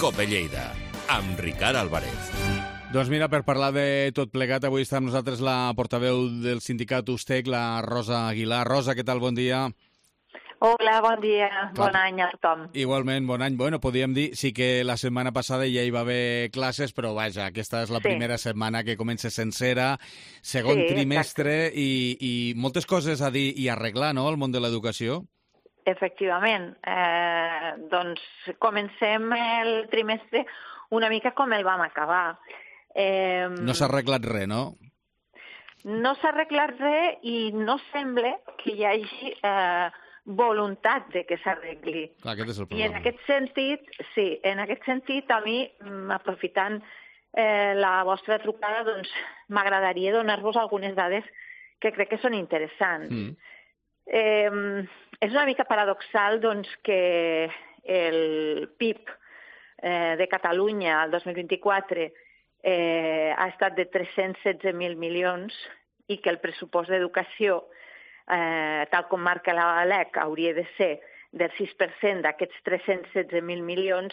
Cope Lleida, amb Ricard Álvarez. Doncs mira, per parlar de tot plegat, avui està amb nosaltres la portaveu del sindicat USTEC, la Rosa Aguilar. Rosa, què tal? Bon dia. Hola, bon dia. Bon any a tothom. Igualment, bon any. Bueno, podríem dir, sí que la setmana passada ja hi va haver classes, però vaja, aquesta és la primera setmana que comença sencera, segon trimestre, i moltes coses a dir i arreglar, no?, al món de l'educació. Efectivament. Doncs comencem el trimestre una mica com el vam acabar. No s'ha arreglat res, no? No s'ha arreglat res i no sembla que hi hagi voluntat de que s'arregli. Clar, aquest és el I problema. en aquest sentit, a mi, aprofitant la vostra trucada, doncs m'agradaria donar-vos algunes dades que crec que són interessants. És una mica paradoxal doncs, que el PIB de Catalunya al 2024 ha estat de 316.000 milions i que el pressupost d'educació, tal com marca la LEC, hauria de ser del 6% d'aquests 316.000 milions,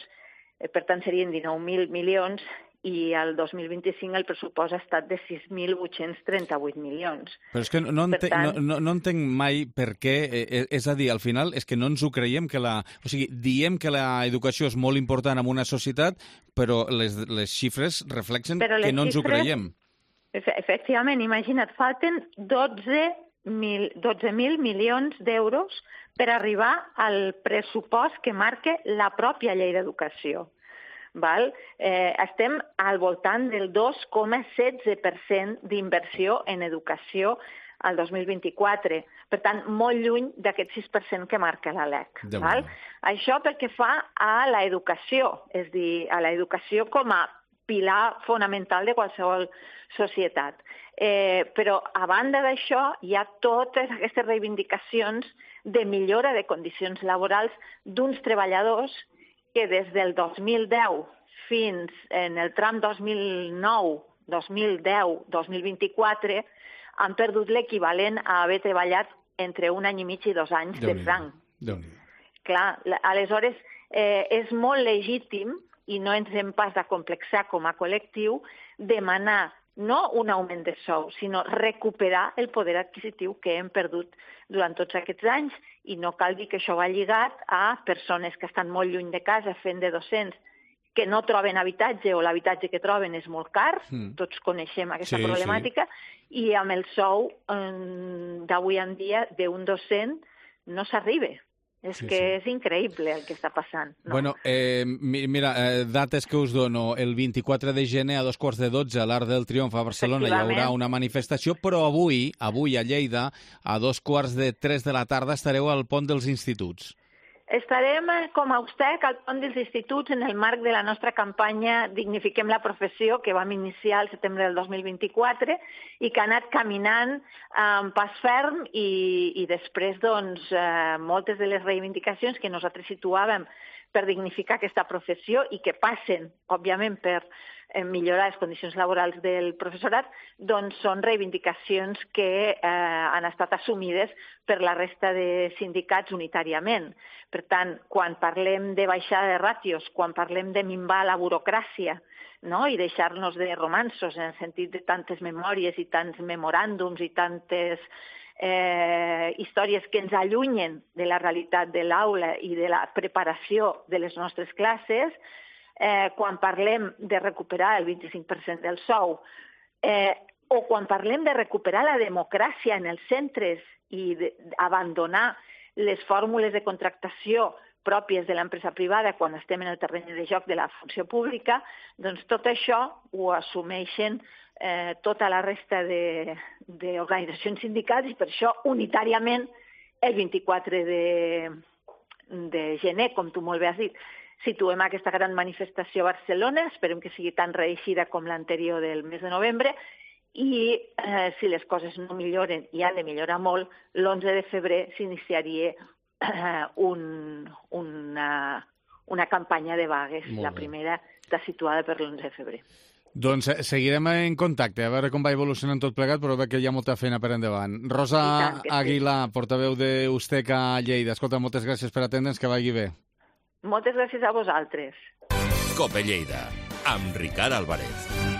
per tant serien 19.000 milions, i el 2025 el pressupost ha estat de 6.838 milions. Però és que no entenc mai per què, és a dir, al final és que no ens ho creiem, o sigui, diem que l'educació és molt important en una societat, però les xifres reflexen que no ens ho creiem. Efectivament, imagina't, falten 12.000 milions d'euros per arribar al pressupost que marca la pròpia llei d'educació. Estem al voltant del 2,16% d'inversió en educació al 2024. Per tant, molt lluny d'aquest 6% que marca la LEC. Això pel que fa a l'educació, és a dir, a l'educació com a pilar fonamental de qualsevol societat. Però, a banda d'això, hi ha totes aquestes reivindicacions de millora de condicions laborals d'uns treballadors que des del 2010 fins en el tram 2009, 2010, 2024 han perdut l'equivalent a haver treballat entre un any i mig i 2 anys de franc. Clar, aleshores és molt legítim i no ens hem pas d'acomplexar com a col·lectiu demanar no un augment de sou, sinó recuperar el poder adquisitiu que hem perdut durant tots aquests anys, i no cal dir que això va lligat a persones que estan molt lluny de casa fent de docents, que no troben habitatge o l'habitatge que troben és molt car, tots coneixem aquesta problemàtica, i amb el sou d'avui en dia d'un docent no s'arriba. És que és increïble el que està passant. Bueno, mira, dates que us dono. El 24 de gener a 2:15 a l'Arc del Triomf a Barcelona hi haurà una manifestació, però avui a Lleida, a 2:45 de la tarda, estareu al Pont dels Instituts. Estarem com a USTEC al Pont dels Instituts en el marc de la nostra campanya Dignifiquem la professió, que vam iniciar el setembre del 2024 i que ha anat caminant amb pas ferm i després doncs, moltes de les reivindicacions que nosaltres situàvem per dignificar aquesta professió i que passen, òbviament, per millorar les condicions laborals del professorat, doncs són reivindicacions que han estat assumides per la resta de sindicats unitàriament. Per tant, quan parlem de baixada de ràtios, quan parlem de minvar la burocràcia, i deixar-nos de romanços en el sentit de tantes memòries i tants memoràndums i tantes històries que ens allunyen de la realitat de l'aula i de la preparació de les nostres classes, quan parlem de recuperar el 25% del sou, o quan parlem de recuperar la democràcia en els centres i d'abandonar les fórmules de contractació pròpies de l'empresa privada quan estem en el terreny de joc de la funció pública, doncs tot això ho assumeixen tota la resta d'organitzacions sindicals i per això unitàriament el 24 de gener, com tu molt bé has dit, situem aquesta gran manifestació a Barcelona, esperem que sigui tan reeixida com l'anterior del mes de novembre, i si les coses no milloren, i han de millorar molt, l'11 de febrer s'iniciaria una campanya de vagues. La primera està situada per l'11 de febrer. Doncs seguirem en contacte, a veure com va evolucionant tot plegat, però veig que hi ha molta feina per endavant. Rosa Aguilar, portaveu d'USTEC a Lleida. Escolta, moltes gràcies per atendre'ns, que vagi bé. Moltes gràcies a vosaltres. Cope Lleida, amb Ricard Álvarez.